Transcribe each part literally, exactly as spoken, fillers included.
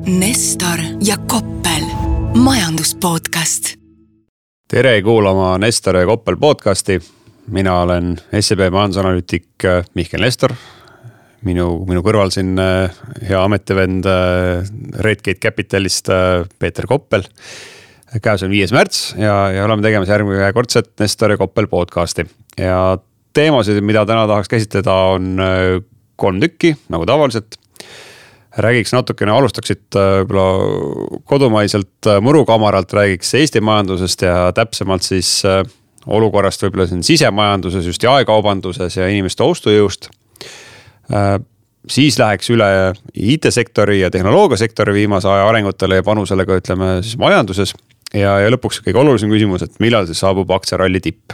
Nestor ja Koppel, majanduspodcast. Tere kuulama Nestor ja Koppel podcasti. Mina olen S E B majandusanalüütik Mihkel Nestor. Minu, minu kõrval siin hea ametivend Redgate Capitalist Peeter Koppel. Käes on viies märts ja, ja oleme tegemas järgmine kordset Nestor ja Koppel podcasti. Ja teemasid, mida täna tahaks käsitleda, on kolm tükki, nagu tavaliselt. Räägiks natukene, alustaksid kodumaiselt murukamaralt, räägiks Eesti majandusest ja täpsemalt siis olukorrast võib-olla siin sisemajanduses, just jaekaubanduses ja inimeste ostujõust. Siis läheks üle I T-sektori ja tehnoloogiasektori viimase aja arengutele ja panusele ka ütleme siis majanduses. Ja, ja lõpuks kõige olulisem küsimus, et millal siis saabub aktsiaralli tipp.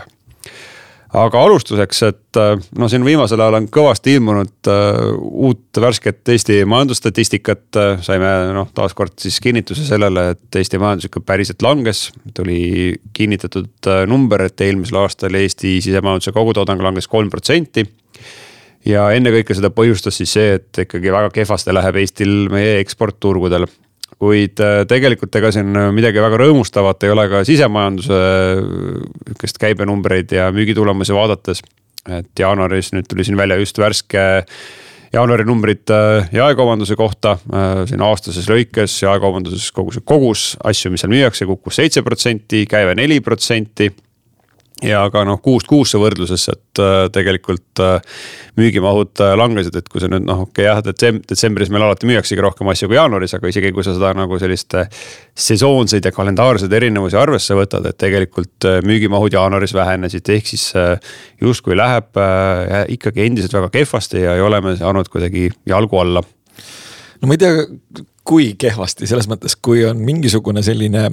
Aga alustuseks, et no siin viimasel ajal on kõvasti ilmunud uh, uut värsket Eesti majandusstatistikat. Saime no, taaskord siis kinnituse sellele, et Eesti majandus ikka päriselt langes. Tuli kinnitatud uh, number, et eelmisel aastal Eesti sisemajanduse kogutoodang langes kolm protsenti. Ja enne kõike seda põhjustas siis see, et ikkagi väga kehvasti läheb Eestil meie eksportturgudel. Kuid tegelikult ega siin midagi väga rõõmustavat ei ole ka sisemajanduse käibenumbreid ja müügitulemusi vaadates. Et jaanuaris nüüd tuli siin välja just värske jaanuari numbrid jaekaubanduse kohta. Siin aastases lõikes jaekaubanduses kogus, kogus asju, mis seal müüakse, kukkus seitse protsenti, käive neli protsenti. Ja ka noh, kuust kuusse võrdluses, et tegelikult müügimahud langesid, et kui see nüüd noh, okei jah, detsembris meil alati müüaksegi rohkem asju kui jaanuaris, aga isegi kui sa seda nagu selliste sesoonseid ja kalendaarseid erinevusi arvesse võtad, et tegelikult müügimahud jaanuaris vähenesid, ehk siis just kui läheb ikkagi endiselt väga kehvasti ja ei ole me saanud kuidagi jalgu alla. No ma ei tea, kui kehvasti, selles mõttes, kui on mingisugune selline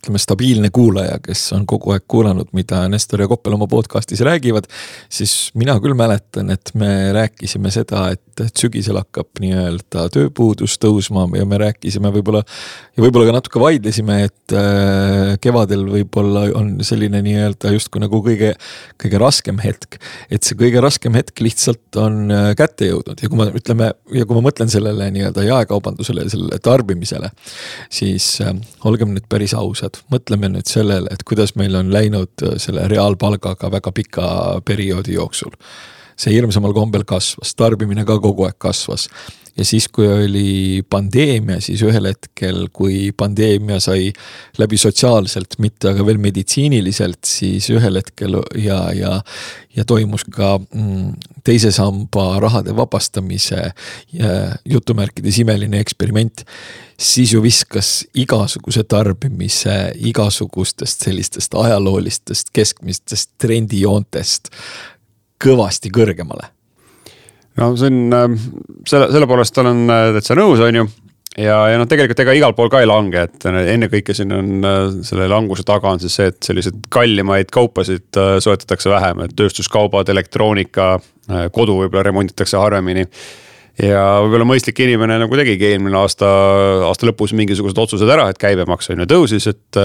ütleme, stabiilne kuulaja, kes on kogu aeg kuulanud, mida Nestor ja Koppel oma podcastis räägivad, siis mina küll mäletan, et me rääkisime seda, et sügisel hakkab nii-öelda tööpuudus tõusma ja me rääkisime võib-olla ja võib-olla ka natuke vaidlesime, et kevadel võib-olla on selline nii-öelda justkui nagu kõige, kõige raskem hetk, et see kõige raskem hetk lihtsalt on kätte jõudnud ja kui ma ütleme, ja kui ma mõtlen sellele nii-öelda jaekaubandusele ja sellele tarbimisele, siis olgem nüüd päris ausad. Mõtleme nüüd sellele, et kuidas meil on läinud selle reaalpalgaga väga pika perioodi jooksul. See hirmsamal kombel kasvas, tarbimine ka kogu aeg kasvas. Ja siis, kui oli pandeemia, siis ühel hetkel, kui pandeemia sai läbi sotsiaalselt, mitte aga veel meditsiiniliselt, siis ühel hetkel ja, ja, ja toimus ka mm, teise samba rahade vabastamise ja jutumärkides imeline eksperiment, siis ju viskas igasuguse tarbimise, igasugustest sellistest ajaloolistest, keskmistest trendijoontest kõvasti kõrgemale. No see on, selle, selle poolest olen täitsa nõus, on ju. Ja, ja no tegelikult ega igal pool ka ei lange, et enne kõike siin on selle languse taga on siis see, et sellised kallimaid kaupasid soetatakse vähem, et tööstuskaubad, elektroonika, kodu võib-olla remonditakse harvemini. Ja võib-olla mõistlik inimene nagu tegigi eelmine aasta, aasta lõpus mingisugused otsused ära, et käibemaks on ju tõusis, et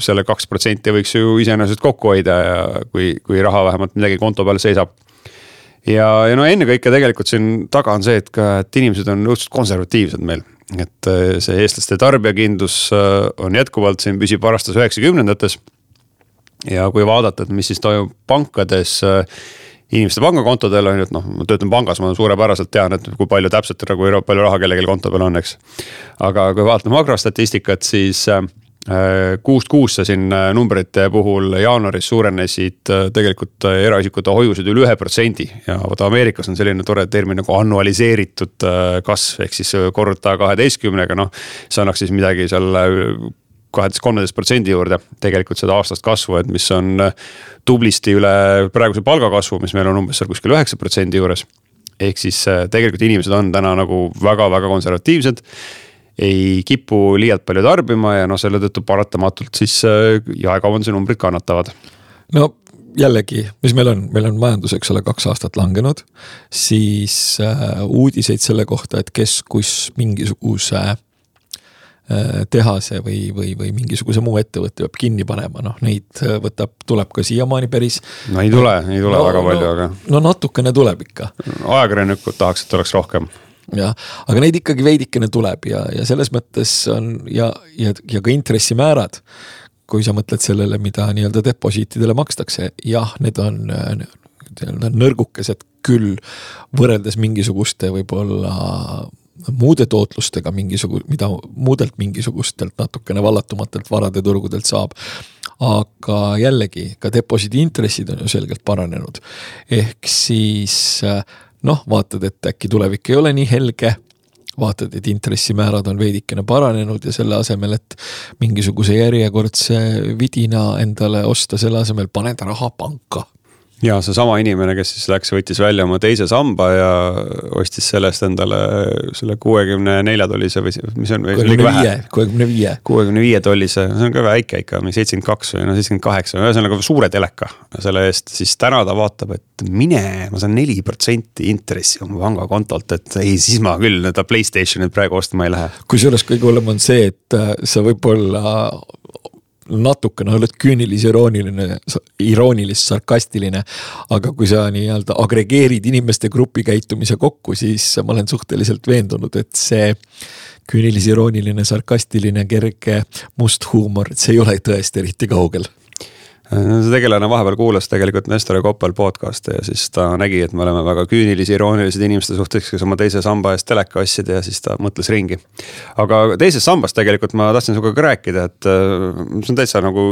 selle kaks protsenti võiks ju iseenesest kokku hoida ja kui, kui raha vähemalt midagi konto peal seisab. Ja, ja no enne kõike tegelikult siin taga on see, et, ka, et inimesed on õudselt konservatiivsed meil. Et see eestlaste tarbijakindlus on jätkuvalt siin püsib aastas üheksakümnendates. Ja kui vaadata, et mis siis toimub pankades, inimeste pangakontodel on, et noh, ma töötan pangas, ma suurepäraselt tean, et kui palju täpselt, kui palju raha kellelgi konto peal on, eks. Aga kui vaatame makrostatistikat, siis kuust kuusse siin numbrite puhul jaanuaris suurenesid tegelikult eraisikute hoiused üle ühe protsendi ja vaata Ameerikas on selline tore termin nagu annualiseeritud kasv ehk siis korruta kaheteistkümnega, noh see annaks siis midagi seal kaheteist kolmteist protsendi juurde tegelikult seda aastast kasvu, et mis on tublisti üle praeguse palgakasvu, mis meil on umbes seal kuskil üheksa protsendi juures. Ehk siis tegelikult inimesed on täna nagu väga-väga konservatiivsed, ei kipu liialt palju tarbima ja no selle tõttu paratamatult siis jaekaubanduse numbrid kannatavad. No jällegi, mis meil on, meil on majandus, eks ole, kaks aastat langenud, siis uudiseid selle kohta, et kes kus mingisuguse tehase või, või, või mingisuguse muu ettevõtte peab kinni panema, noh neid võtab, tuleb ka siiamaani päris. No ei tule, ei tule no, väga palju, no, aga. No natukene tuleb ikka. Ajakirjanikud tahaks, et oleks rohkem. jah, aga neid ikkagi veidikene tuleb ja, ja selles mõttes on ja, ja, ja ka intressimäärad, kui sa mõtled sellele, mida nii-öelda deposiitidele makstakse, jah, need on nõrgukesed küll võrreldes mingisuguste võib-olla muude tootlustega, mingisugu, mida muudelt mingisugustelt natukene vallatumatelt varade turgudelt saab. Aga jällegi, ka deposiidi intressid on ju selgelt paranenud. Ehk siis, noh, vaatad, et äkki tulevik ei ole nii helge, vaatad, et intressimäärad on veidikene paranenud ja selle asemel, et mingisuguse järjekordse vidina endale osta, selle asemel paned raha panka. Ja see sama inimene, kes siis läks, võttis välja oma teise samba ja ostis sellest endale selle kuuekümne nelja tollise või mis on kuuekümne viie kuuekümne viie tollise, see on ka väike ikka, seitsekümmend kaks või no seitsekümmend kaheksa, see on nagu suure teleka selle eest, siis täna ta vaatab, et mine, ma saan neli protsenti intressi oma pangakontolt, et ei, siis ma küll ta PlayStationit praegu ostma ei lähe. Kui selles kõige hullem on see, et sa võib-olla natukene oled küünilis, irooniline, iroonilis, sarkastiline, aga kui sa nii-öelda agregeerid inimeste grupi käitumise kokku, siis ma olen suhteliselt veendunud, et see küünilis, irooniline, sarkastiline, kerge must huumor, et see ei ole tõesti eriti kaugel. See tegelane vahepeal kuulas tegelikult Nestor ja Koppel podcasti ja siis ta nägi, et me oleme väga küünilisi, iroonilised inimeste suhtes, kes oma teise samba eest teleka ostsid ja siis ta mõtles ringi. Aga teisest sambast tegelikult ma tahtsin sinuga ka rääkida, et see on täitsa nagu,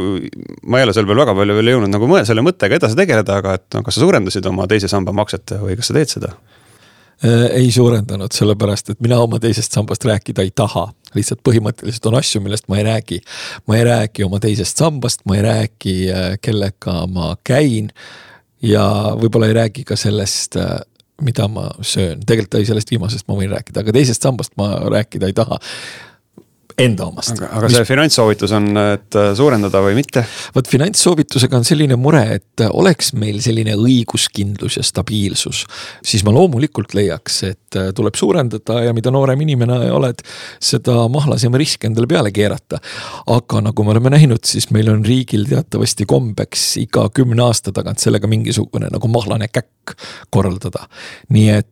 ma ei ole seal veel väga palju veel jõudnud nagu selle mõttega edasi tegeleda, aga et no, kas sa suurendasid oma teise samba makset või kas sa teed seda? Ei suurendanud, sellepärast, et mina oma teisest sambast rääkida ei taha. Lihtsalt põhimõtteliselt on asju, millest ma ei räägi. Ma ei räägi oma teisest sambast, ma ei räägi, kellega ma käin ja võib-olla ei räägi ka sellest, mida ma söön. Tegelikult ei sellest viimasest ma võin rääkida, aga teisest sambast ma rääkida ei taha. Enda omast. Aga, aga see finantssoovitus on, et suurendada või mitte? Võt finantssoovitusega on selline mure, et oleks meil selline õiguskindlus ja stabiilsus, siis ma loomulikult leiaks, et tuleb suurendada ja mida noorem inimene oled, seda mahlasem risk endale peale keerata. Aga nagu me oleme näinud, siis meil on riigil teatavasti kombeks iga kümne aasta tagant sellega mingisugune nagu mahlane käkk korraldada. Nii et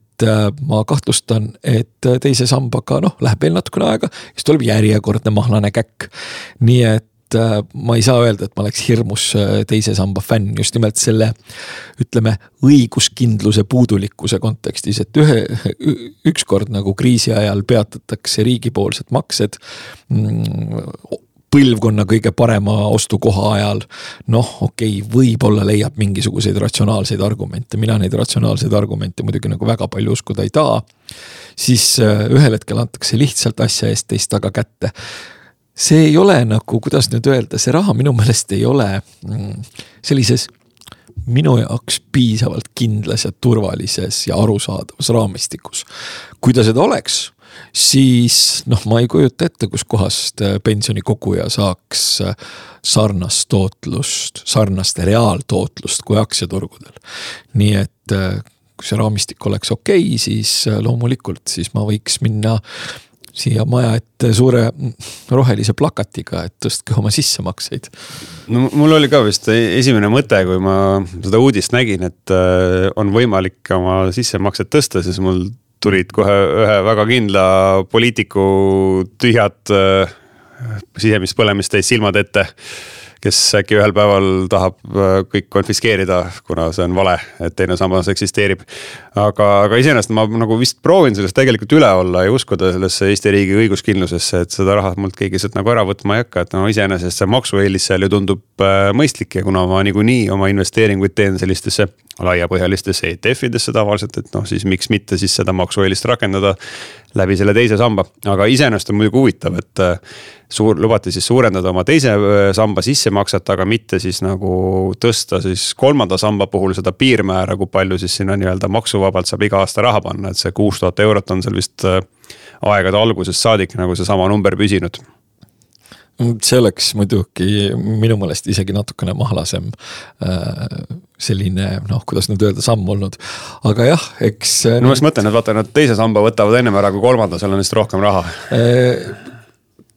ma kahtlustan, et teise sambaga noh, läheb veel natukene aega, siis tuleb järjekordne mahlane käkk. Nii et ma ei saa öelda, et ma oleks hirmus teise samba fänn, just nimelt selle, ütleme, õiguskindluse puudulikkuse kontekstis, et ühe, ükskord nagu kriisi ajal peatatakse riigipoolsed maksed põlvkonna kõige parema ostukoha ajal, noh, okei, võib-olla leiab mingisuguseid ratsionaalseid argumente, mina neid ratsionaalseid argumente muidugi nagu väga palju uskuda ei taha, siis ühel hetkel antakse lihtsalt asja eest teist taga kätte. See ei ole nagu, kuidas nüüd öelda, see raha minu meelest ei ole sellises minu jaoks piisavalt kindlas ja turvalises ja arusaadavas raamistikus. Kui ta seda oleks, siis noh, ma ei kujuta ette, kus kohast pensionikoguja saaks sarnast tootlust, sarnast reaaltootlust kui aktsiaturgudel. Nii et kui see raamistik oleks okei, siis loomulikult siis ma võiks minna siia maja ette suure rohelise plakatiga, et tõstke oma sissemakseid. No mul oli ka vist esimene mõte, kui ma seda uudist nägin, et on võimalik oma sissemakset tõsta, siis mul tulid kohe ühe väga kindla poliitiku tühjad sisemist põlemist täis silmad ette, kes äkki ühel päeval tahab kõik konfiskeerida, kuna see on vale, et teine sammas eksisteerib. Aga, aga iseenesest ma nagu vist proovin sellest tegelikult üle olla ja uskuda sellesse Eesti riigi õiguskindlusesse, et seda raha mult keegi sealt nagu ära võtma ei hakka, et no iseenesest see maksueelis seal ju tundub mõistlik ja kuna ma niikuinii oma investeeringuid teen sellistesse laiapõhjalistesse E T F-idesse tavaliselt, et noh, siis miks mitte siis seda maksueelist rakendada läbi selle teise samba. Aga iseenesest on muidugi huvitav, et suur, lubati siis suurendada oma teise samba sissemakset, aga mitte siis nagu tõsta siis kolmanda samba puhul seda piirmäära, kui palju siis sinna nii-öelda maksuvabalt saab iga aasta raha panna, et see kuus tuhat eurot on seal vist aegade algusest saadik nagu see sama number püsinud. See oleks muidugi minu meelest isegi natukene mahlasem selline, noh, kuidas nüüd öelda, samm olnud. Aga jah, eks... No ma mõtlen, et vaata, nad teise samba võtavad ennem ära kui kolmanda, seal on vist rohkem raha.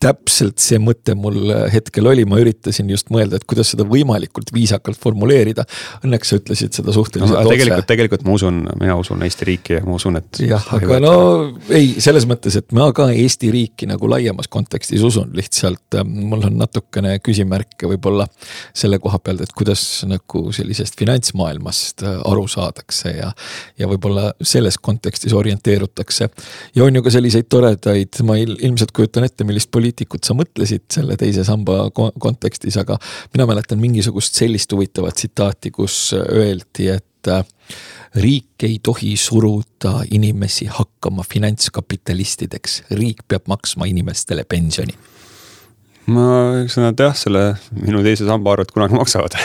täpselt see mõte mul hetkel oli, ma üritasin just mõelda, et kuidas seda võimalikult viisakalt formuleerida. Õnneks sa ütlesid seda suhteliselt no, tegelikult, tegelikult ma usun, mina usun Eesti riiki ja ma usun, et jah, aga no ei, selles mõttes, et ma ka Eesti riiki nagu laiemas kontekstis usun, lihtsalt mul on natukene küsimärke võib-olla selle koha pealt, et kuidas nagu sellisest finantsmaailmast aru saadakse ja, ja võib-olla selles kontekstis orienteerutakse. Ja on ju ka selliseid toredaid, ma ilmselt kujutan ette, millist poliitikut sa mõtlesid selle teise samba kontekstis, aga mina mäletan mingisugust sellist huvitavat tsitaati, kus öeldi, et riik ei tohi suruda inimesi hakkama finantskapitalistideks. Riik peab maksma inimestele pensioni. Ma eks nad jah, selle minu teise samba arvet kunagi maksavad.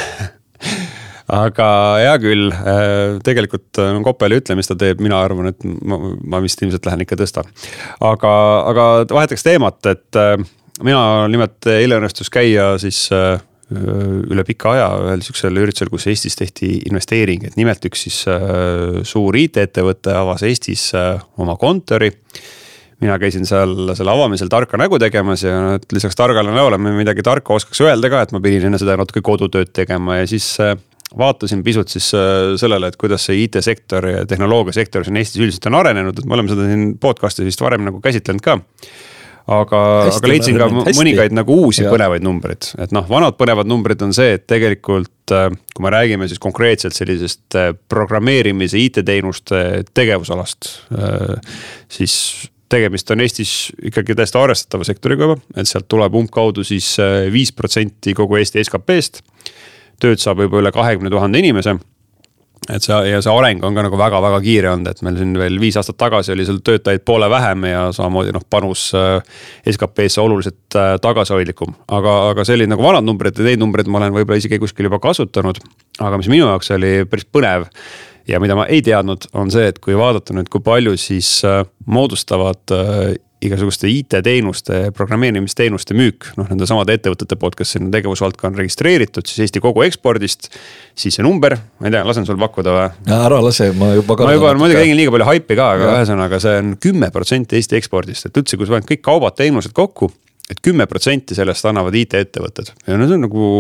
Aga hea küll, tegelikult no, Koppeli ütle, mis ta teeb, mina arvan, et ma, ma vist ilmselt lähen ikka tõstan. Aga, aga vahetaks teemat, et mina nimelt eile õnnestus käia siis üle pika aja ühel süksel üritusel, kus Eestis tehti investeering, et nimelt üks siis suur I T-ettevõte avas Eestis oma kontori. Mina käisin seal selle avamisel tarka nägu tegemas ja lisaks targale näole me midagi tarka oskaks öelda ka, et ma pidin enne seda natuke kodutööd tegema ja siis vaatasin pisut siis sellele, et kuidas see I T-sektor ja tehnoloogiasektor siin Eestis üldiselt on arenenud, et me oleme seda siin podcasti vist varem nagu käsitlenud ka. Aga, aga leidsin ka mõningaid nagu uusi ja. Põnevaid numbrid. Et noh, vanad põnevad numbrid on see, et tegelikult kui me räägime siis konkreetselt sellisest programmeerimise I T-teenuste tegevusalast, siis tegemist on Eestis ikkagi täiesti arvestatava sektoriga juba, et sealt tuleb umbkaudu siis viis protsenti kogu Eesti S K P-st. Tööd saab juba üle kahekümne tuhande inimese. Et see, ja see areng on ka nagu väga-väga kiire olnud, et meil siin veel viis aastat tagasi oli seal töötajaid poole vähem ja samamoodi noh, panus S K P-sse oluliselt tagasihoidlikum. Aga, aga see oli nagu vanad numbrid ja neid numbrid ma olen võib-olla isegi kuskil juba kasutanud. Aga mis minu jaoks oli päris põnev ja mida ma ei teadnud, on see, et kui vaadata nüüd, kui palju siis moodustavad igasuguste I T-teenuste, programmeerimisteenuste müük, noh nende samade ettevõtete poolt, kes sinna tegevusvaldka on registreeritud, siis Eesti kogu ekspordist, siis see number, ma ei tea, lasen sul pakkuda või? Ära lase, ma juba ma juba ma tegin liiga palju haipi ka, aga ühesõnaga see on kümme protsenti Eesti ekspordist, et üldse, kui sa paned kõik kaubad teenused kokku, et kümme protsenti sellest annavad I T-ettevõtted. Ja no see on nagu,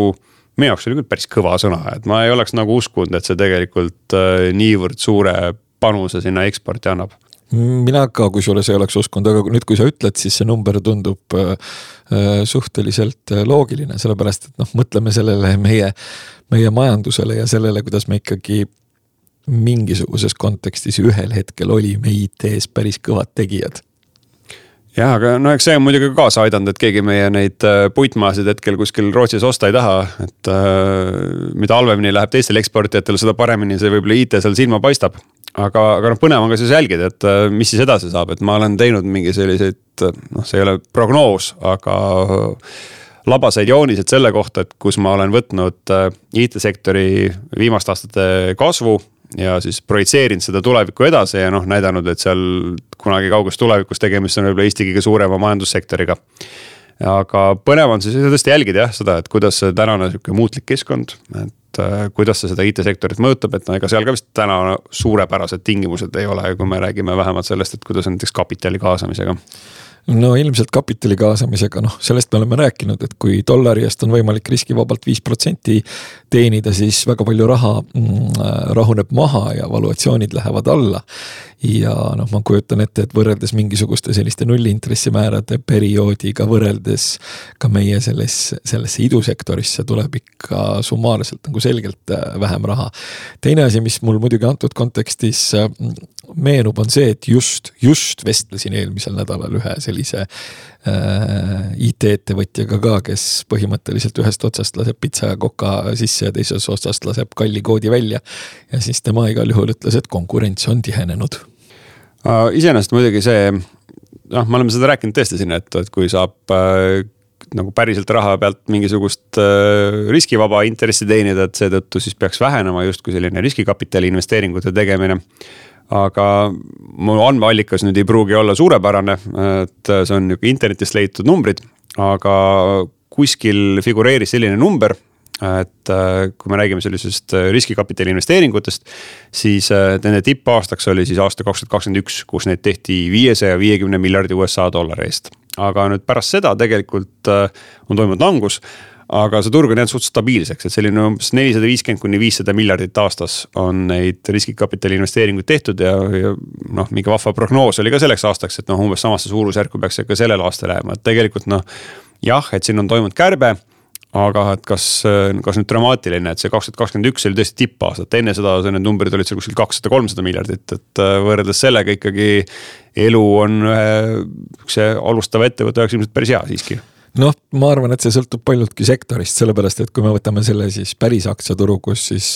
meie jaoks oli küll päris kõva sõna, et ma ei oleks nagu uskunud, et see tegelikult niivõrd suure panuse sinna eksporti annab. Mina ka, kui sulle see oleks uskunud, aga nüüd kui sa ütled, siis see number tundub äh, suhteliselt loogiline, sellepärast, et noh, mõtleme sellele meie, meie majandusele ja sellele, kuidas me ikkagi mingisuguses kontekstis ühel hetkel olime I T-s päris kõvad tegijad. Jah, aga no eks see on muidugi kaasa aidanud, et keegi meie neid puitmaasid hetkel kuskil Rootsis osta ei taha, et äh, mida halvemini läheb teistel eksportijatel, seda paremini see võib-olla I T seal silma paistab. Aga, aga noh, põnev on ka siis jälgida, et mis siis edasi saab, et ma olen teinud mingi selliseid, noh see ei ole prognoos, aga labaseid joonised selle kohta, et kus ma olen võtnud I T-sektori viimaste aastate kasvu ja siis projitseerinud seda tulevikku edasi ja noh näidanud, et seal kunagi kaugus tulevikus tegemist on võib-olla Eesti kõige suurema majandussektoriga. Aga põnev on siis tõesti jälgida jah, seda, et kuidas see tänane muutlik keskkond, et kuidas see seda I T-sektorit mõjutab, et no ega seal ka vist täna suurepärased tingimused ei ole, kui me räägime vähemalt sellest, et kuidas on näiteks kapitali kaasamisega. No ilmselt kapitali kaasamisega, noh sellest me oleme rääkinud, et kui dollari eest on võimalik riskivabalt viis protsenti teenida, siis väga palju raha mm, rahuneb maha ja valuatsioonid lähevad alla. Ja noh, ma kujutan ette, et võrreldes mingisuguste selliste nullintressimäärade perioodiga võrreldes ka meie selles, sellesse idusektorisse tuleb ikka summaarselt nagu selgelt vähem raha. Teine asi, mis mul muidugi antud kontekstis meenub, on see, et just, just vestlesin eelmisel nädalal ühe sellise äh, I T-ettevõtjaga ka, kes põhimõtteliselt ühest otsast laseb pitsa ja koka sisse ja teises otsast laseb kalli koodi välja. Ja siis tema igal juhul ütles, et konkurents on tihenenud. Uh, iseenesest muidugi see, noh, me oleme seda rääkinud tõesti siin, et, et kui saab äh, nagu päriselt raha pealt mingisugust äh, riskivaba intressi teenida, et seetõttu siis peaks vähenema justkui selline riskikapitali investeeringute tegemine. Aga mu andmeallikas nüüd ei pruugi olla suurepärane, et see on internetist leitud numbrid, aga kuskil figureeris selline number, et kui me räägime sellisest riskikapitali investeeringutest, siis nende tipp aastaks oli siis aasta kaks tuhat kakskümmend üks, kus neid tehti viiesaja viiekümne miljardi U S A dollari eest. aga nüüd pärast seda tegelikult on toimunud langus. Aga see turg on jäänud suht stabiilseks, et selline umbes nelisada viiskümmend kuni viissada miljardit aastas on neid riskikapitali investeeringuid tehtud ja, ja noh, mingi vahva prognoos oli ka selleks aastaks, et noh, umbes samasse suurusjärku peaks ka sellel aastal lähema, et tegelikult noh, jah, et siin on toimunud kärbe, aga et kas, kas nüüd dramaatiline, et see kaks tuhat kakskümmend üks oli tõesti tippaastat, enne seda need numbrid olid seal kuskil kakssada kolmsada miljardit, et võrreldes sellega ikkagi elu on see alustava ettevõtte jaoks ilmselt päris hea siiski. Noh, ma arvan, et see sõltub paljudki sektorist, sellepärast, et kui me võtame selle siis päris aktsiaturu, kus siis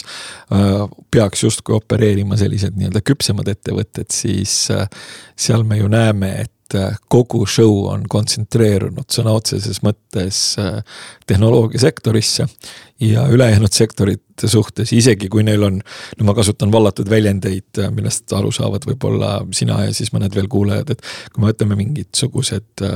äh, peaks justkui opereerima sellised nii-öelda küpsemad ettevõtted, siis äh, seal me ju näeme, et kogu show on kontsentreerunud sõna otseses mõttes tehnoloogia sektorisse ja ülejäänud sektorite suhtes, isegi kui neil on, no ma kasutan vallatud väljendeid, millest aru saavad võib-olla sina ja siis mõned veel kuulejad, et kui me võtame mingitsugused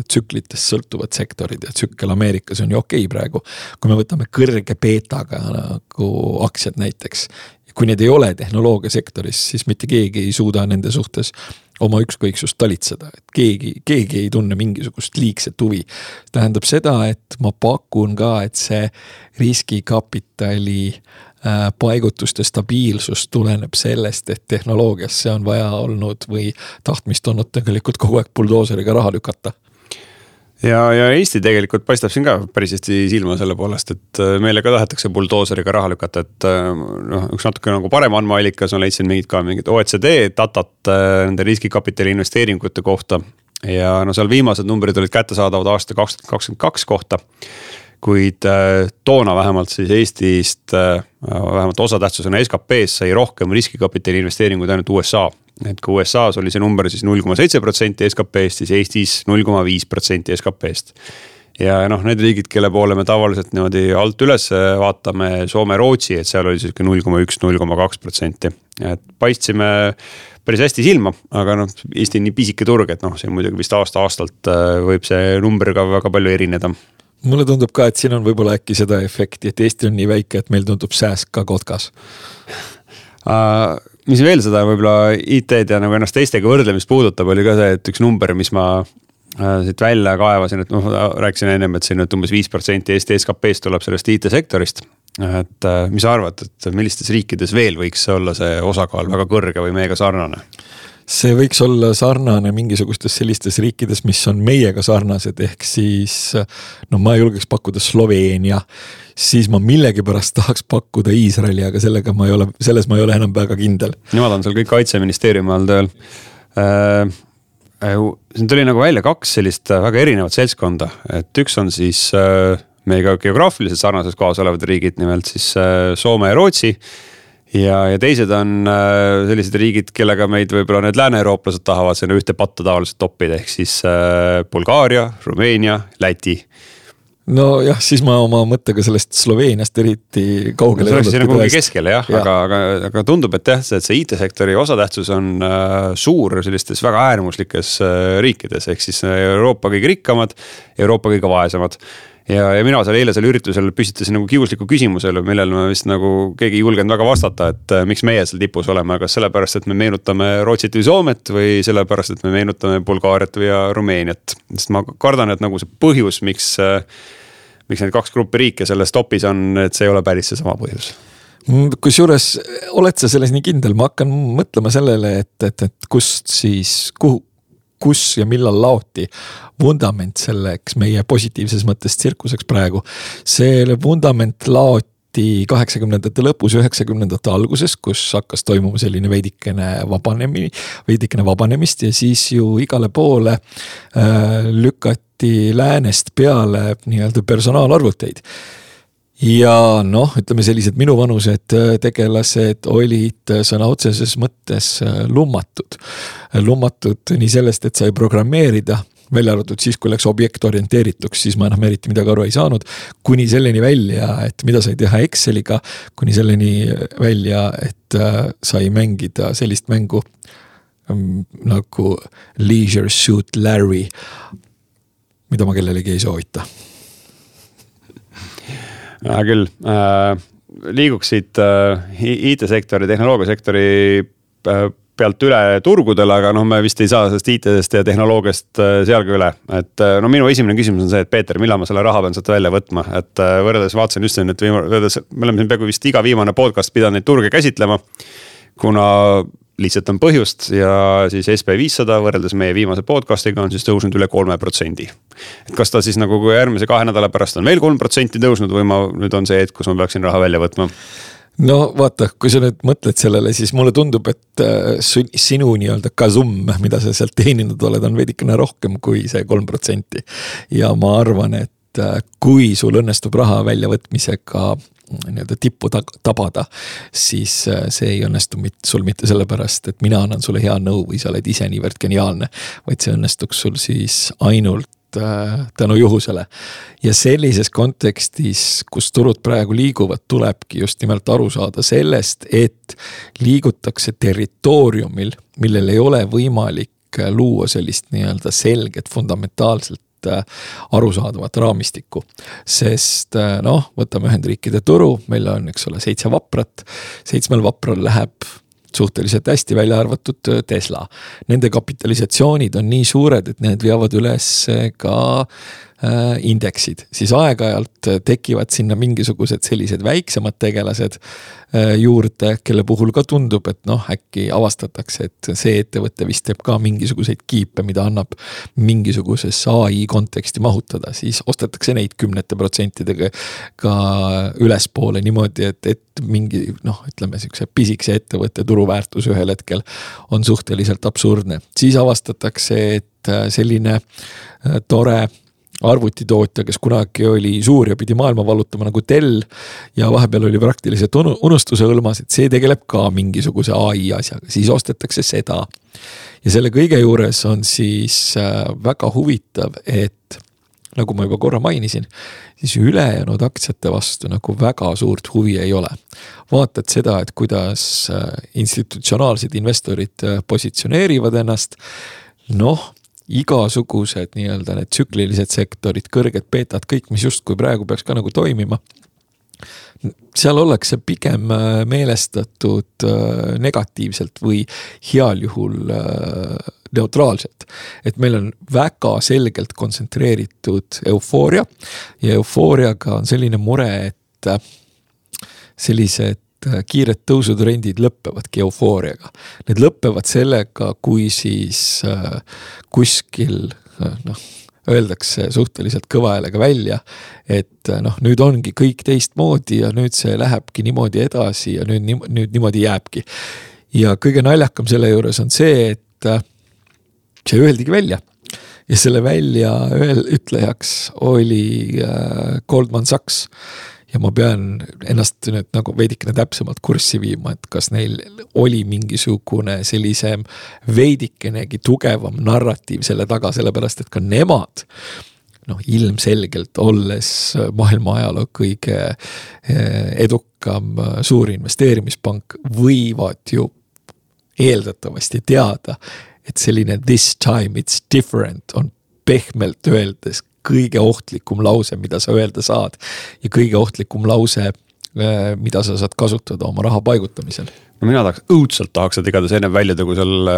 tsüklitest sõltuvad sektorid ja tsükkel Ameerikas on ju okei praegu, kui me võtame kõrge beetaga nagu aktsiad näiteks, kui need ei ole tehnoloogia sektoris, siis mitte keegi ei suuda nende suhtes oma ükskõiksust talitseda, et keegi, keegi ei tunne mingisugust liigset huvi. Tähendab seda, et ma pakun ka, et see riskikapitali paigutuste stabiilsus tuleneb sellest, et tehnoloogiasse on vaja olnud või tahtmist olnud tegelikult kogu aeg buldooseriga raha lükata. Ja, ja Eesti tegelikult paistab siin ka päris hästi silma selle poolest, et meile ka tahetakse buldooseriga raha lükata, et noh, üks natuke nagu parem andmeallikas on leidsin mingid ka mingid O E C D datat nende riskikapitali investeeringute kohta ja no seal viimased numbrid olid kättesaadavad aasta kaks tuhat kakskümmend kaks kohta, kuid toona vähemalt siis Eestist vähemalt osatähtsusena S K P-s sai rohkem riskikapitali investeeringuid ainult U S A. Et kui U S A-s oli see number siis null koma seitse protsenti S K P-st, siis Eestis null koma viis protsenti S K P-st. Ja noh, need riigid, kelle poole me tavaliselt niimoodi alt üles vaatame Soome, Rootsi, et seal oli siis null koma üks, null koma kaks protsenti. Et paistsime päris hästi silma, aga noh, Eesti on nii pisike turg, et noh, see muidugi vist aasta aastalt võib see number ka väga palju erineda. Mulle tundub ka, et siin on võib-olla äkki seda efekti, et Eesti on nii väike, et meil tundub sääsk ka kotkas. Uh, mis veel seda võib-olla I T-d ja nagu ennast teistega võrdlemist puudutab, oli ka see, et üks number, mis ma uh, siit välja kaevasin, et noh, rääkisin ennem, et siin umbes viis protsenti Eesti S K P-st tuleb sellest I T-sektorist. Et uh, mis sa arvad, et millistes riikides veel võiks olla see osakaal väga kõrge või meiega sarnane? See võiks olla sarnane mingisugustes sellistes riikides, mis on meiega sarnased, ehk siis, no ma julgeks pakkuda Sloveenia, siis ma millegi pärast tahaks pakkuda Iisraeli, aga sellega ma ei ole, selles ma ei ole enam väga kindel. Nemad on seal kõik kaitseministeeriumi all tööl. Äh, siin tuli nagu välja kaks sellist väga erinevat seltskonda, et üks on siis äh, meiega geograafiliselt sarnases kohas olevad riigid, nimelt siis äh, Soome ja Rootsi. Ja, ja teised on äh, sellised riigid, kellega meid võib-olla need lääne-eurooplased tahavad selle ühte patta tavaliselt toppida, ehk siis äh, Bulgaaria, Rumeenia, Läti. No jah, siis ma oma mõttega sellest Sloveeniast eriti kaugele. See oleks siin nagu keskele jah, ja. aga, aga, aga tundub, et jah, et see I T-sektori osatähtsus on äh, suur sellistes väga äärmuslikes äh, riikides, ehk siis Euroopa kõige rikkamad, Euroopa kõige vaesemad. Ja, ja mina seal eile seal üritusel püstitasin nagu kiusliku küsimusele, millel ma vist nagu keegi ei julgenud väga vastata, et miks meie seal tipus oleme, kas sellepärast, et me meenutame Rootsit või Soomet või sellepärast, et me meenutame Bulgaariat või Rumeeniat. Sest ma kardan, et nagu see põhjus, miks, miks need kaks gruppi riike selles topis on, et see ei ole päris see sama põhjus. Kusjuures oled sa selles nii kindel, ma hakkan mõtlema sellele, et, et, et kust siis, kuhu, kus ja millal laoti vundament selleks meie positiivses mõttes tsirkuseks praegu. See vundament laoti kaheksakümnendate lõpus, üheksakümnendate alguses, kus hakkas toimuma selline veidikene vabanemine, veidikene vabanemist ja siis ju igale poole äh, lükati läänest peale nii-öelda personaalarvuteid. Ja noh, ütleme sellised minu vanused tegelased olid sõna otseses mõttes lummatud. Lummatud nii sellest, et sai programmeerida, välja arvatud siis, kui läks objektorienteerituks, siis ma enam eriti midagi aru ei saanud, kuni selleni välja, et mida sai teha Exceliga, kuni selleni välja, et sai mängida sellist mängu nagu Leisure Suit Larry, mida ma kellelegi ei soovita. Ja, küll, äh, liiguksid äh, I T-sektori, tehnoloogiasektori äh, pealt üle turgudele, aga noh, me vist ei saa sellest I T-dest ja tehnoloogiast seal ka üle. Et no minu esimene küsimus on see, et Peeter, millal ma selle raha pean sealt välja võtma, et võrreldes vaatasin just siin, et viima, võrreldes, me oleme siin peaaegu vist iga viimane podcast pidanud neid turge käsitlema, kuna lihtsalt on põhjust ja siis S P viissada võrreldes meie viimase podcastiga on siis tõusnud üle kolme protsendi. Et kas ta siis nagu kui järgmise kahe nädala pärast on veel kolm protsenti tõusnud või ma nüüd on see hetk, kus ma peaksin raha välja võtma? No vaata, kui sa nüüd mõtled sellele, siis mulle tundub, et sinu nii-öelda kasum, mida sa sealt teeninud oled, on veidikene rohkem kui see kolm protsenti. Ja ma arvan, et kui sul õnnestub raha väljavõtmisega nii-öelda tippu tabada, siis see ei õnnestu sul mitte sellepärast, et mina annan sulle hea nõu või sa oled ise niivõrd geniaalne, vaid see õnnestuks sul siis ainult tänu juhusele. Ja sellises kontekstis, kus turud praegu liiguvad, tulebki just nimelt aru saada sellest, et liigutakse territooriumil, millel ei ole võimalik luua sellist nii-öelda selget fundamentaalselt arusaadavat raamistikku. Sest noh, võtame Ühendriikide turu, meil on, eks ole, seitse vaprat, seitsmel vapral läheb suhteliselt hästi välja arvatud Tesla. Nende kapitalisatsioonid on nii suured, et need veavad üles ka äh, indeksid. Siis aeg-ajalt tekivad sinna mingisugused sellised väiksemad tegelased äh, juurde, kelle puhul ka tundub, et noh, äkki avastatakse, et see ettevõte vist teeb ka mingisuguseid kiipe, mida annab mingisuguses A I konteksti mahutada. Siis ostetakse neid kümnete protsentidega ka ülespoole niimoodi, et, et mingi, noh, ütleme siukse pisikse ettevõtte turuväärtus ühel hetkel on suhteliselt absurdne. Siis avastatakse, et selline tore arvutitootja, kes kunagi oli suur ja pidi maailma vallutama nagu Dell ja vahepeal oli praktiliselt unustuse hõlmas, et see tegeleb ka mingisuguse A I asjaga. Siis ostetakse seda. Ja selle kõige juures on siis väga huvitav, et nagu ma juba korra mainisin, siis ülejäänud aktsiate vastu nagu väga suurt huvi ei ole. Vaatad seda, et kuidas institutsionaalsed investorid positsioneerivad ennast, noh, igasugused nii-öelda need tsüklilised sektorid, kõrged beetad, kõik, mis just kui praegu peaks ka nagu toimima, seal ollakse pigem meelestatud negatiivselt või heal juhul neutraalselt. Et meil on väga selgelt kontsentreeritud eufooria ja eufooriaga on selline mure, et sellised kiired tõusutrendid lõppevadki eufooriaga. Need lõppevad sellega, kui siis kuskil noh, öeldakse suhteliselt kõva häälega välja, et noh, nüüd ongi kõik teistmoodi ja nüüd see lähebki niimoodi edasi ja nüüd, nüüd niimoodi jääbki. Ja kõige naljakam selle juures on see, et see öeldigi välja. Ja selle välja ütlejaks oli Goldman Sachs. Ja ma pean ennast nüüd nagu veidikene täpsemalt kurssi viima, et kas neil oli mingisugune sellise veidikenegi tugevam narratiiv selle taga, sellepärast, et ka nemad noh, ilmselgelt olles maailma ajaloo kõige edukam suur investeerimispank võivad ju eeldatavasti teada, et selline this time it's different on pehmelt öeldes kõige ohtlikum lause, mida sa öelda saad ja kõige ohtlikum lause, mida sa saad kasutada oma raha paigutamisel. No mina tahaks, õudselt tahaks, et igatahes enne välja tõgu seal,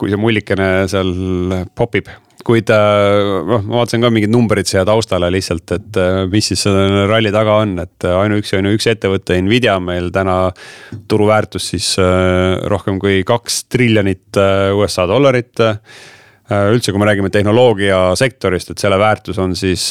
kui see mullikene seal popib. Kuid no, ma vaatasin ka mingid numbrid siia taustale lihtsalt, et mis siis ralli taga on, et ainu üks, ainu üks ettevõtte Nvidia meil täna turuväärtus siis rohkem kui kaks triljonit U S A dollarit. Üldse, kui me räägime tehnoloogia sektorist, et selle väärtus on siis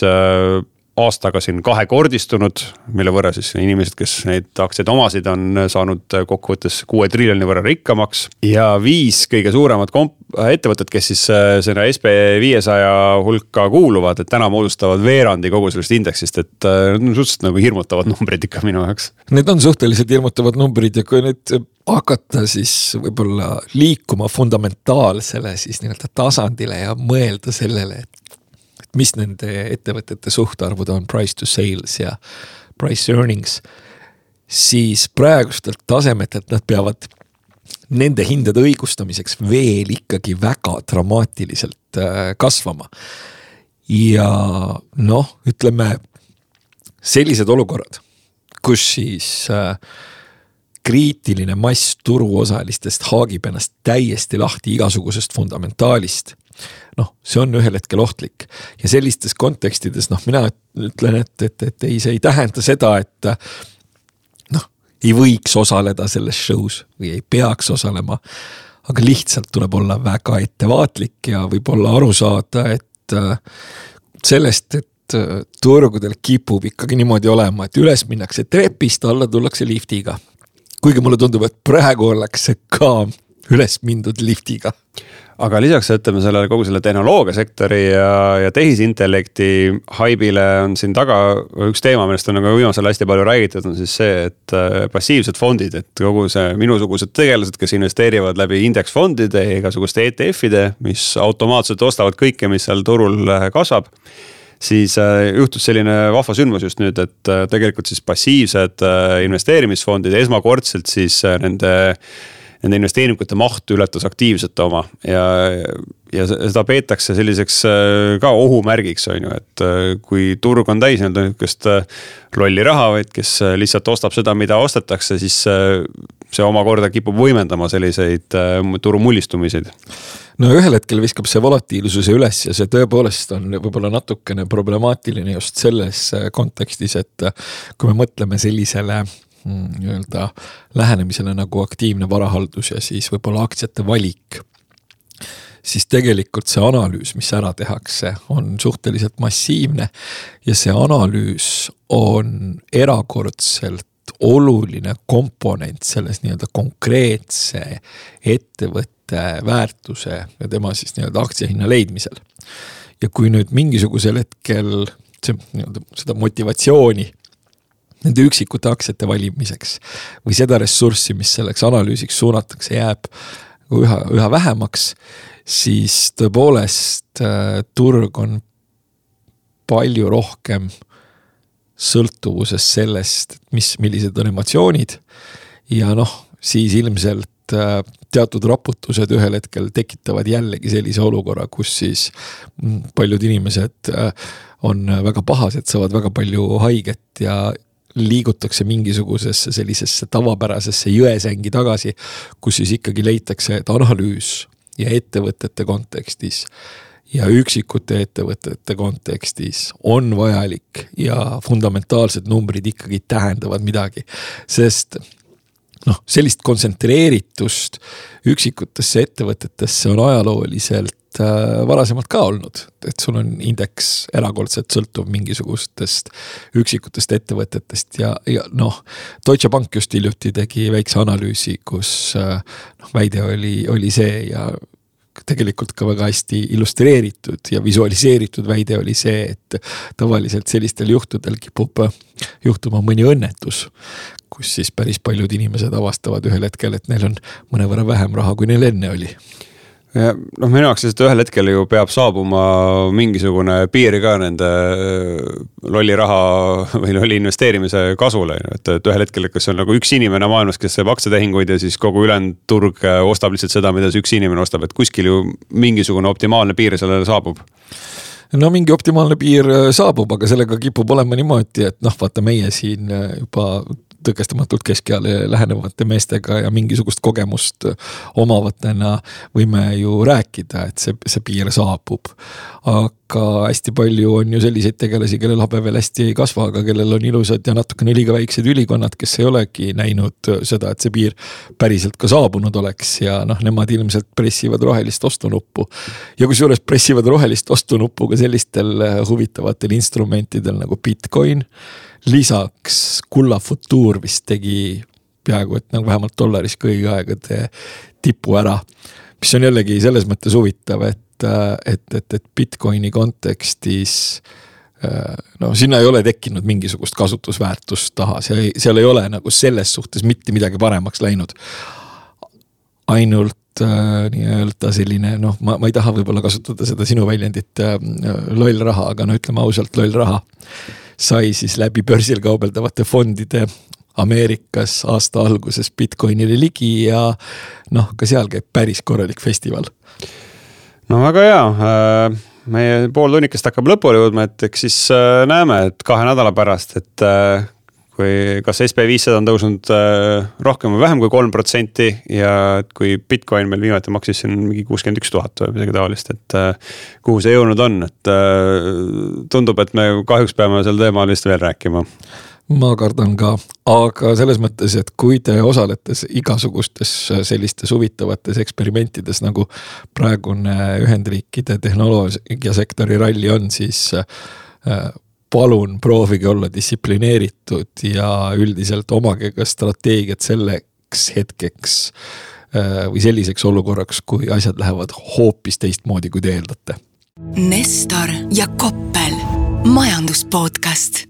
aastaga siin kahekordistunud, mille võrra siis inimesed, kes neid aktsiaid omasid, on saanud kokkuvõttes kuue triljoni võrra rikkamaks. Ja viis kõige suuremad komp- ettevõtted, kes siis selle S P viiesaja hulka kuuluvad, et täna moodustavad veerandi kogu sellest indeksist, et need on suhteliselt nagu hirmutavad numbrid ikka minu jaoks. Need on suhteliselt hirmutavad numbrid ja kui nüüd hakata siis võib-olla liikuma fundamentaalsele siis nii-öelda tasandile ja mõelda sellele, et mis nende ettevõtete suhtarvud on price to sales ja price earnings, siis praegustelt tasemetelt nad peavad nende hindade õigustamiseks veel ikkagi väga dramaatiliselt kasvama. Ja noh, ütleme sellised olukorrad, kus siis kriitiline mass turuosalistest haagib ennast täiesti lahti igasugusest fundamentaalist. Noh, see on ühel hetkel ohtlik ja sellistes kontekstides, noh, mina ütlen, et, et, et ei, see ei tähenda seda, et noh, ei võiks osaleda selles show's või ei peaks osalema, aga lihtsalt tuleb olla väga ettevaatlik ja võib-olla aru saada, et sellest, et turgudel kipub ikkagi niimoodi olema, et üles minnakse trepist, alla tullakse liftiga. Kuigi mulle tundub, et praegu ollakse ka üles mindud liftiga. Aga lisaks ütleme sellele kogu selle tehnoloogiasektori ja, ja tehisintellekti haibile on siin taga üks teema, millest on nagu viimasel hästi palju räägitud, on siis see, et passiivsed fondid, et kogu see minusugused tegelased, kes investeerivad läbi indeksfondide ja igasuguste E T F-ide, mis automaatselt ostavad kõike, mis seal turul kasvab, siis juhtus selline vahva sündmus just nüüd, et tegelikult siis passiivsed investeerimisfondid esmakordselt siis nende, nende investeeringute maht ületas aktiivsete oma ja, ja seda peetakse selliseks ka ohumärgiks, on ju, et kui turg on täis niisugust lolli raha, vaid kes lihtsalt ostab seda, mida ostetakse, siis see omakorda kipub võimendama selliseid turu mullistumiseid. No ühel hetkel viskab see volatiilsuse üles ja see tõepoolest on võib-olla natukene problemaatiline just selles kontekstis, et kui me mõtleme sellisele nii-öelda lähenemisele nagu aktiivne varahaldus ja siis võib-olla aktsiate valik, siis tegelikult see analüüs, mis ära tehakse, on suhteliselt massiivne ja see analüüs on erakordselt oluline komponent selles nii-öelda konkreetse ettevõtte väärtuse ja tema siis nii-öelda aktsiahinna leidmisel. Ja kui nüüd mingisugusel hetkel see, nii-öelda, seda motivatsiooni nende üksikute aktsiate valimiseks või seda ressurssi, mis selleks analüüsiks suunatakse, jääb üha, üha vähemaks, siis tõepoolest turg on palju rohkem sõltuvuses sellest, mis, millised on emotsioonid ja noh, siis ilmselt teatud raputused ühel hetkel tekitavad jällegi sellise olukorra, kus siis paljud inimesed on väga pahased, saavad väga palju haiget ja liigutakse mingisugusesse sellisesse tavapärasesse jõesängi tagasi, kus siis ikkagi leitakse, et analüüs ja ettevõtete kontekstis ja üksikute ettevõtete kontekstis on vajalik ja fundamentaalsed numbrid ikkagi tähendavad midagi, sest noh, sellist kontsentreeritust üksikutesse ettevõtetesse on ajalooliselt äh, varasemalt ka olnud, et sul on indeks erakordselt sõltuv mingisugustest üksikutest ettevõtetest ja, ja noh, Deutsche Bank just hiljuti tegi väikse analüüsi, kus äh, noh, väide oli, oli see ja tegelikult ka väga hästi illustreeritud ja visualiseeritud väide oli see, et tavaliselt sellistel juhtudel kipub juhtuma mõni õnnetus, kus siis päris paljud inimesed avastavad ühel hetkel, et neil on mõnevõrra vähem raha, kui neil enne oli. Ja, noh, minu jaoks lihtsalt ühel hetkel ju peab saabuma mingisugune piiri ka nende lolli raha või lolli investeerimise kasule, et, et ühel hetkel, kas on nagu üks inimene maailmas, kes saab aktsiatehinguid ja siis kogu ülejäänud turg ostab lihtsalt seda, mida see üks inimene ostab, et kuskil ju mingisugune optimaalne piir sellele saabub. No mingi optimaalne piir saabub, aga sellega kipub olema niimoodi, et noh, vaata meie siin juba tõkestamatult keskeale lähenevate meestega ja mingisugust kogemust omavatena võime ju rääkida, et see, see piir saabub. Aga hästi palju on ju selliseid tegelasi, kellel habe veel hästi ei kasva, aga kellel on ilusad ja natukene liiga väiksed ülikonnad, kes ei olegi näinud seda, et see piir päriselt ka saabunud oleks ja noh, nemad ilmselt pressivad rohelist ostunuppu. Ja kui suures pressivad rohelist ostunuppu ka sellistel huvitavatel instrumentidel nagu Bitcoin, lisaks Kulla Futuur vist tegi peaaegu, et nagu vähemalt dollaris kõigi aegade tipu ära, mis on jällegi selles mõttes huvitav, et, et, et, et Bitcoini kontekstis no sinna ei ole tekkinud mingisugust kasutusväärtust taha, seal ei, seal ei ole nagu selles suhtes mitte midagi paremaks läinud. Ainult äh, nii-öelda selline, noh, ma, ma ei taha võib-olla kasutada seda sinu väljendit äh, loll raha, aga no ütleme ausalt, loll raha sai siis läbi börsil kaubeldavate fondide Ameerikas aasta alguses Bitcoinile ligi ja noh, ka seal käib päris korralik festival. No väga hea, meie pool tunnikest hakkab lõpule jõudma, et eks siis näeme, et kahe nädala pärast, et kui kas S P viissada on tõusnud rohkem või vähem kui kolm protsenti ja kui Bitcoin meil viimati maksis siin mingi kuuskümmend üks tuhat või midagi taolist, et kuhu see jõudnud on, et tundub, et me kahjuks peame sel teemal vist veel rääkima. Ma kardan ka, aga selles mõttes, et kui te osaletes igasugustes sellistes huvitavates eksperimentides, nagu praegune Ühendriikide tehnoloogiasektori ralli on, siis palun proovige olla distsiplineeritud ja üldiselt omage ka strateegiat selleks hetkeks või selliseks olukorraks, kui asjad lähevad hoopis teistmoodi, kui te eeldate. Nestor ja Koppel, majanduspodcast.